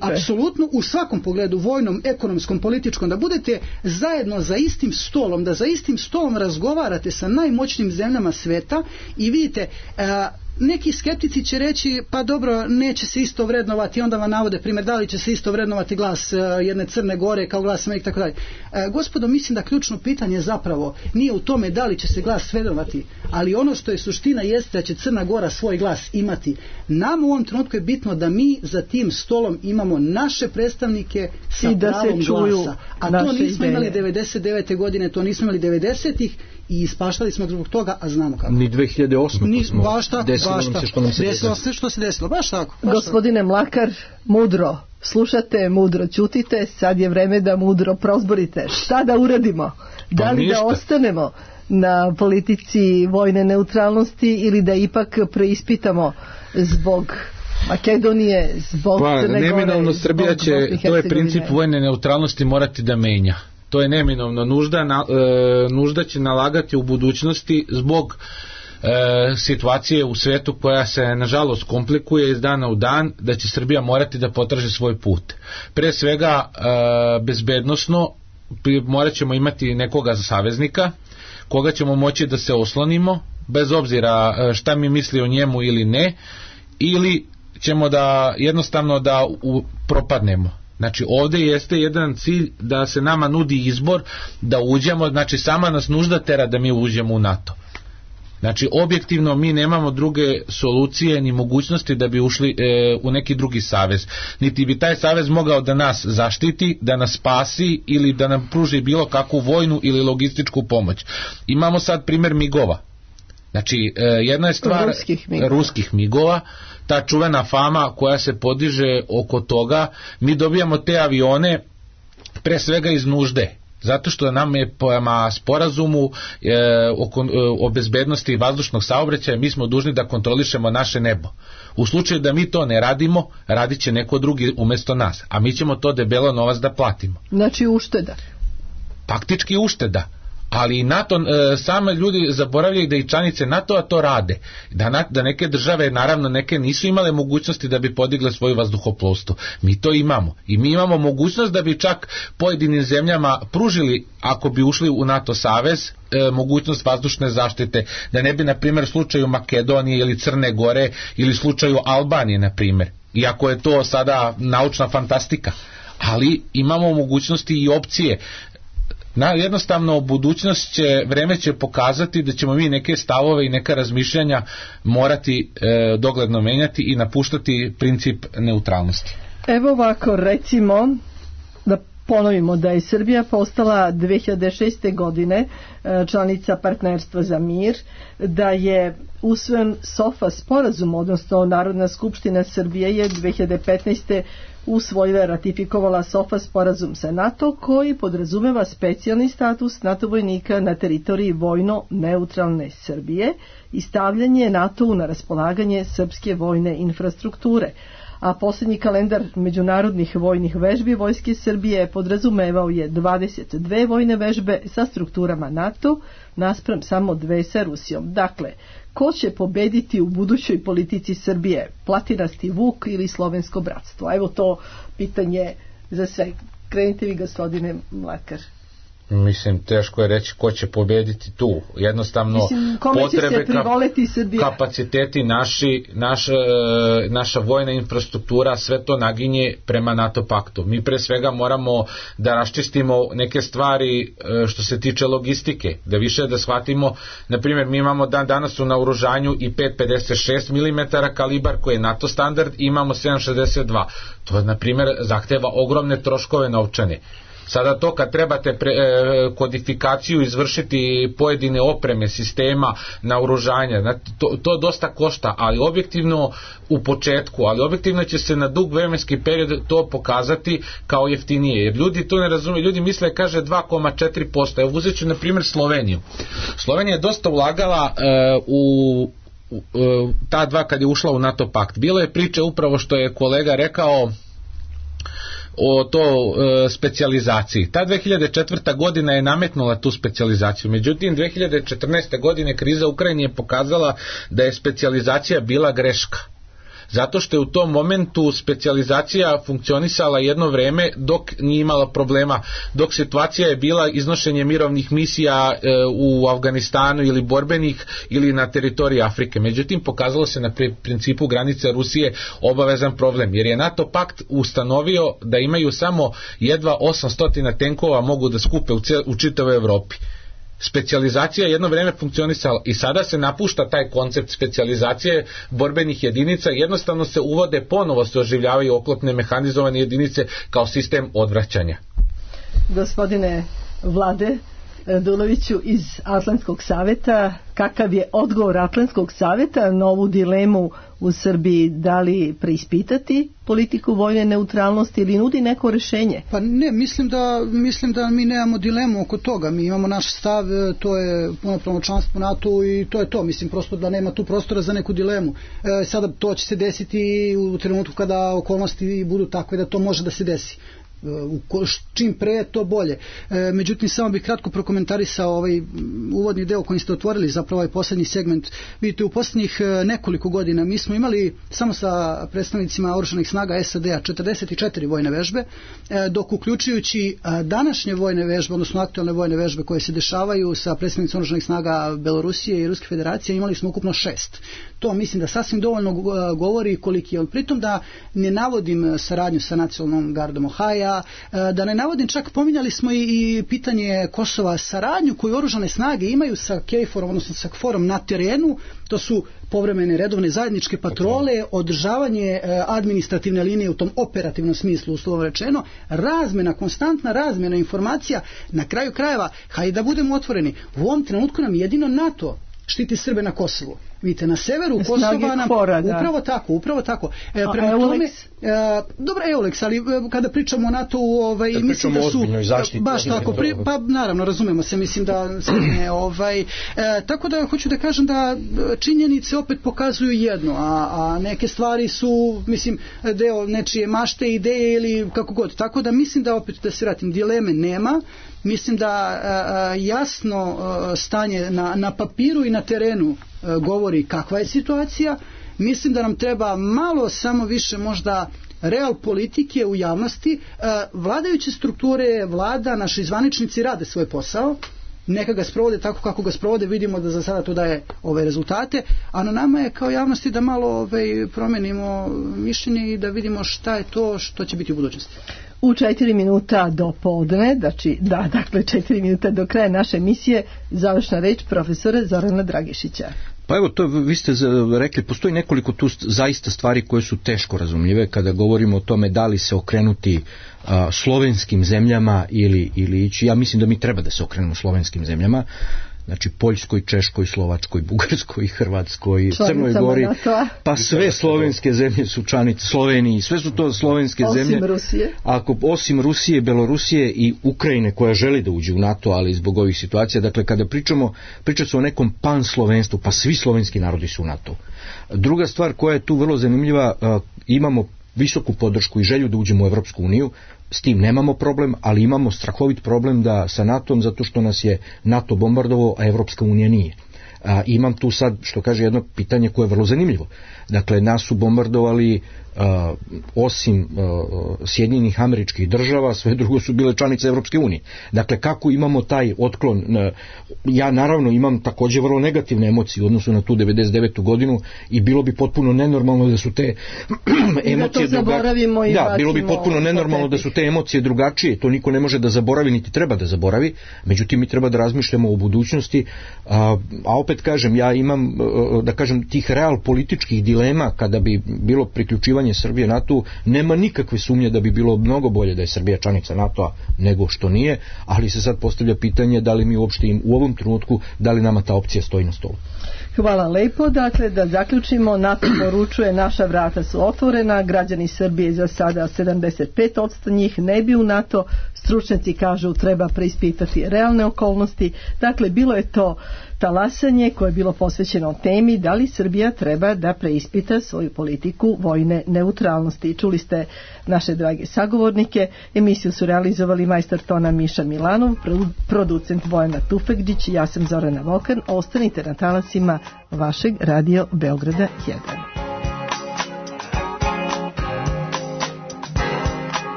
apsolutno u svakom pogledu, vojnom, ekonomskom, političkom, da budete zajedno za istim stolom, da za istim stolom razgovarate sa najmoćnijim zemljama sveta i vidite, neki skeptici će reći, pa dobro, neće se isto vrednovati, onda vam navode primjer, da li će se isto vrednovati glas jedne Crne Gore kao glas Amerike, tako dalje. Gospodo, mislim da ključno pitanje zapravo nije u tome da li će se glas vrednovati, ali ono što je suština jeste da će Crna Gora svoj glas imati. Nam u ovom trenutku je bitno da mi za tim stolom imamo naše predstavnike sa pravom glasa. A to nismo imali 99. godine, to nismo imali 90-ih i ispaštali smo zbog toga, a znamo kako. Ni 2008. smo desilo sve što se desilo, baš tako. Gospodine Mlakar, mudro slušate, mudro ćutite, sad je vreme da mudro prozborite. Šta da uradimo? Da li da ostanemo na politici vojne neutralnosti ili da ipak preispitamo zbog Makedonije, zbog Crne Gore, neminovno Srbija će, to je princip vojne neutralnosti, morati da menja. To je neminovno. Nužda će nalagati u budućnosti zbog situacije u svetu koja se nažalost komplikuje iz dana u dan, da će Srbija morati da potraži svoj put. Pre svega bezbednosno morat ćemo imati nekoga za saveznika koga ćemo moći da se oslonimo bez obzira šta mi misli o njemu ili ne, ili ćemo da jednostavno da propadnemo. Znači ovde jeste jedan cilj da se nama nudi izbor da uđemo, znači sama nas nužda tera da mi uđemo u NATO. Znači objektivno mi nemamo druge solucije ni mogućnosti da bi ušli u neki drugi savez. Niti bi taj savez mogao da nas zaštiti, da nas spasi ili da nam pruži bilo kakvu vojnu ili logističku pomoć. Imamo sad primjer migova. Znači jedna je stvar ruskih migova, ta čuvena fama koja se podiže oko toga, mi dobijamo te avione pre svega iz nužde. Zato što nam je prema sporazumu o bezbednosti vazdušnog saobraćaja mi smo dužni da kontrolišemo naše nebo. U slučaju da mi to ne radimo, radit će neko drugi umjesto nas, a mi ćemo to debelo novac da platimo. Znači ušteda. Faktički ušteda. Ali NATO, same ljudi zaboravljaju da i članice NATO-a to rade. Da neke države, naravno neke nisu imale mogućnosti da bi podigle svoju vazduhoplovstvo. Mi to imamo. I mi imamo mogućnost da bi čak pojedinim zemljama pružili, ako bi ušli u NATO savez, mogućnost vazdušne zaštite. Da ne bi, na primjer, slučaju Makedonije ili Crne Gore ili slučaju Albanije, na primjer. Iako je to sada naučna fantastika. Ali imamo mogućnosti i opcije. Jednostavno budućnost će, vreme će pokazati da ćemo mi neke stavove i neka razmišljanja morati dogledno menjati i napuštati princip neutralnosti. Evo ovako, recimo da ponovimo da je Srbija postala 2006. godine članica Partnerstva za mir, da je usvojen SOFA sporazum, odnosno Narodna skupština Srbije je 2015. usvojila, ratifikovala SOFA sporazum sa NATO koji podrazumeva specijalni status NATO vojnika na teritoriji vojno neutralne Srbije i stavljanje NATO-u na raspolaganje srpske vojne infrastrukture. A posljednji kalendar međunarodnih vojnih vežbi Vojske Srbije podrazumevao je 22 vojne vežbe sa strukturama NATO naspram samo 2 sa Rusijom. Dakle, ko će pobediti u budućoj politici Srbije? Platinasti Vuk ili Slovensko bratstvo? Evo to pitanje za sve. Krenite vi, gospodine Mlakar. Mislim, teško je reći ko će pobediti tu. Jednostavno, potrebe, kapaciteti naša vojna infrastruktura, sve to naginje prema NATO paktu. Mi pre svega moramo da raščistimo neke stvari što se tiče logistike, da više da shvatimo, na primjer, mi imamo danas u naoružanju i 5,56 mm kalibar koji je NATO standard, imamo 7,62. To, na primjer, zahteva ogromne troškove novčane. Sada to kad trebate kodifikaciju izvršiti pojedine opreme, sistema, naoružanja, to dosta košta, ali objektivno u početku, ali objektivno će se na dug vremenski period to pokazati kao jeftinije, jer ljudi to ne razumiju, ljudi misle, kaže 2,4%. Evo uzet ću na primjer Sloveniju. Slovenija je dosta ulagala u ta dva kad je ušla u NATO pakt. Bilo je priče upravo što je kolega rekao o to specijalizaciji. Ta 2004. godina je nametnula tu specijalizaciju. Međutim, 2014. godine kriza u Ukrajini je pokazala da je specijalizacija bila greška. Zato što je u tom momentu specijalizacija funkcionisala jedno vreme dok nije imala problema, dok situacija je bila iznošenje mirovnih misija u Afganistanu ili borbenih ili na teritoriji Afrike. Međutim, pokazalo se na principu granice Rusije obavezan problem, jer je NATO pakt ustanovio da imaju samo jedva 800 tenkova mogu da skupe u čitavoj Evropi. Specijalizacija je jedno vreme funkcionisala i sada se napušta taj koncept specijalizacije borbenih jedinica, jednostavno se uvode, ponovo se oživljavaju oklopne mehanizovane jedinice kao sistem odvraćanja. Gospodine Vlade Raduloviću iz Atlantskog saveta, kakav je odgovor Atlantskog saveta na ovu dilemu u Srbiji, da li preispitati politiku vojne neutralnosti ili nudi neko rješenje? Pa ne, mislim da mi nemamo dilemu oko toga, mi imamo naš stav, to je punopravno članstvo NATO i to je to, mislim prosto da nema tu prostora za neku dilemu. Sada to će se desiti u trenutku kada okolnosti budu takve da to može da se desi. čim pre to bolje. Međutim, samo bih kratko prokomentarisao ovaj uvodni deo kojim ste otvorili, zapravo ovaj posljednji segment. Vidite, u posljednjih nekoliko godina mi smo imali samo sa predstavnicima oružanih snaga SAD-a 44 vojne vežbe, dok uključujući današnje vojne vežbe, odnosno aktualne vojne vežbe koje se dešavaju sa predstavnicima oružanih snaga Belorusije i Ruske federacije, imali smo ukupno 6. To mislim da sasvim dovoljno govori koliki je on. Pritom da ne navodim saradnju sa nacionalnom gardom Ohaja, da ne navodim, čak pominjali smo i pitanje Kosova, saradnju koju oružane snage imaju sa KFOR-om, odnosno sa KFOR-om na terenu. To su povremene redovne zajedničke patrole, održavanje administrativne linije u tom operativnom smislu, uslovno rečeno, razmena, konstantna razmena informacija. Na kraju krajeva, hajde da budemo otvoreni, u ovom trenutku nam jedino NATO štiti Srbe na Kosovu. Vidite, na severu Kosova nam... Upravo tako. Prema tome, dobro, EULEX, ali kada pričamo o NATO-u, mislim da su... Baš tako, pa naravno, razumemo se, mislim da se ne... tako da hoću da kažem da činjenice opet pokazuju jedno, a neke stvari su, mislim, deo nečije mašte, ideje ili kako god. Tako da mislim da opet, da se vratim, dileme nema. Mislim da jasno stanje na papiru i na terenu govori kakva je situacija. Mislim da nam treba malo samo više možda real politike u javnosti. Vladajuće strukture, vlada, naši zvaničnici rade svoj posao, neka ga sprovode tako kako ga sprovode, vidimo da za sada to daje ove rezultate, a na nama je kao javnosti da malo promenimo mišljenje i da vidimo šta je to što će biti u budućnosti. U 4 minuta do podne, dakle 4 minuta do kraja naše emisije, završna reč profesora Zorana Dragišića. Pa evo, to vi ste rekli, postoji nekoliko tu zaista stvari koje su teško razumljive kada govorimo o tome da li se okrenuti slovenskim zemljama ili ići. Ja mislim da mi treba da se okrenemo slovenskim zemljama. Znači Poljskoj, Češkoj, Slovačkoj, Bugarskoj, Hrvatskoj, Crnoj Gori, pa sve slovenske zemlje su članice, Sloveniji, sve su to slovenske zemlje. Osim Rusije. Osim Rusije, Belorusije i Ukrajine koja želi da uđe u NATO, ali zbog ovih situacija, dakle kada priča se o nekom panslovenstvu, pa svi slovenski narodi su u NATO. Druga stvar koja je tu vrlo zanimljiva, imamo visoku podršku i želju da uđemo u Evropsku uniju, s tim nemamo problem, ali imamo strahovit problem da sa NATO-om, zato što nas je NATO bombardovao, a Evropska unija nije. Imam tu sad, što kaže, jedno pitanje koje je vrlo zanimljivo. Dakle, nas su bombardovali osim Sjedinjenih Američkih Država, sve drugo su bile članice Evropske unije. Dakle, kako imamo taj otklon? Ja naravno imam također vrlo negativne emocije u odnosu na tu 99. godinu i bilo bi potpuno nenormalno da su te emocije drugačije. Da, bilo bi potpuno nenormalno da su te emocije drugačije, to niko ne može da zaboravi, niti treba da zaboravi, međutim mi treba da razmišljamo o budućnosti, a opet kažem, ja imam, da kažem, tih real političkih dilema kada bi bilo priključivanje Srbije NATO, nema nikakve sumnje da bi bilo mnogo bolje da je Srbija članica NATO-a nego što nije, ali se sad postavlja pitanje da li mi uopšte u ovom trenutku, da li nama ta opcija stoji na stolu. Hvala lepo. Dakle, da zaključimo, NATO poručuje naša vrata su otvorena, građani Srbije za sada 75% njih ne bi u NATO, stručnjaci kažu treba preispitati realne okolnosti. Dakle, bilo je to talasanje koje je bilo posvećeno temi da li Srbija treba da preispita svoju politiku vojne neutralnosti. Čuli ste naše drage sagovornike, emisiju su realizovali majstor tona Miša Milanov, producent Vojana Tufekđić, ja sam Zorana Vokan, ostanite na talasima vašeg Radio Beograda 1.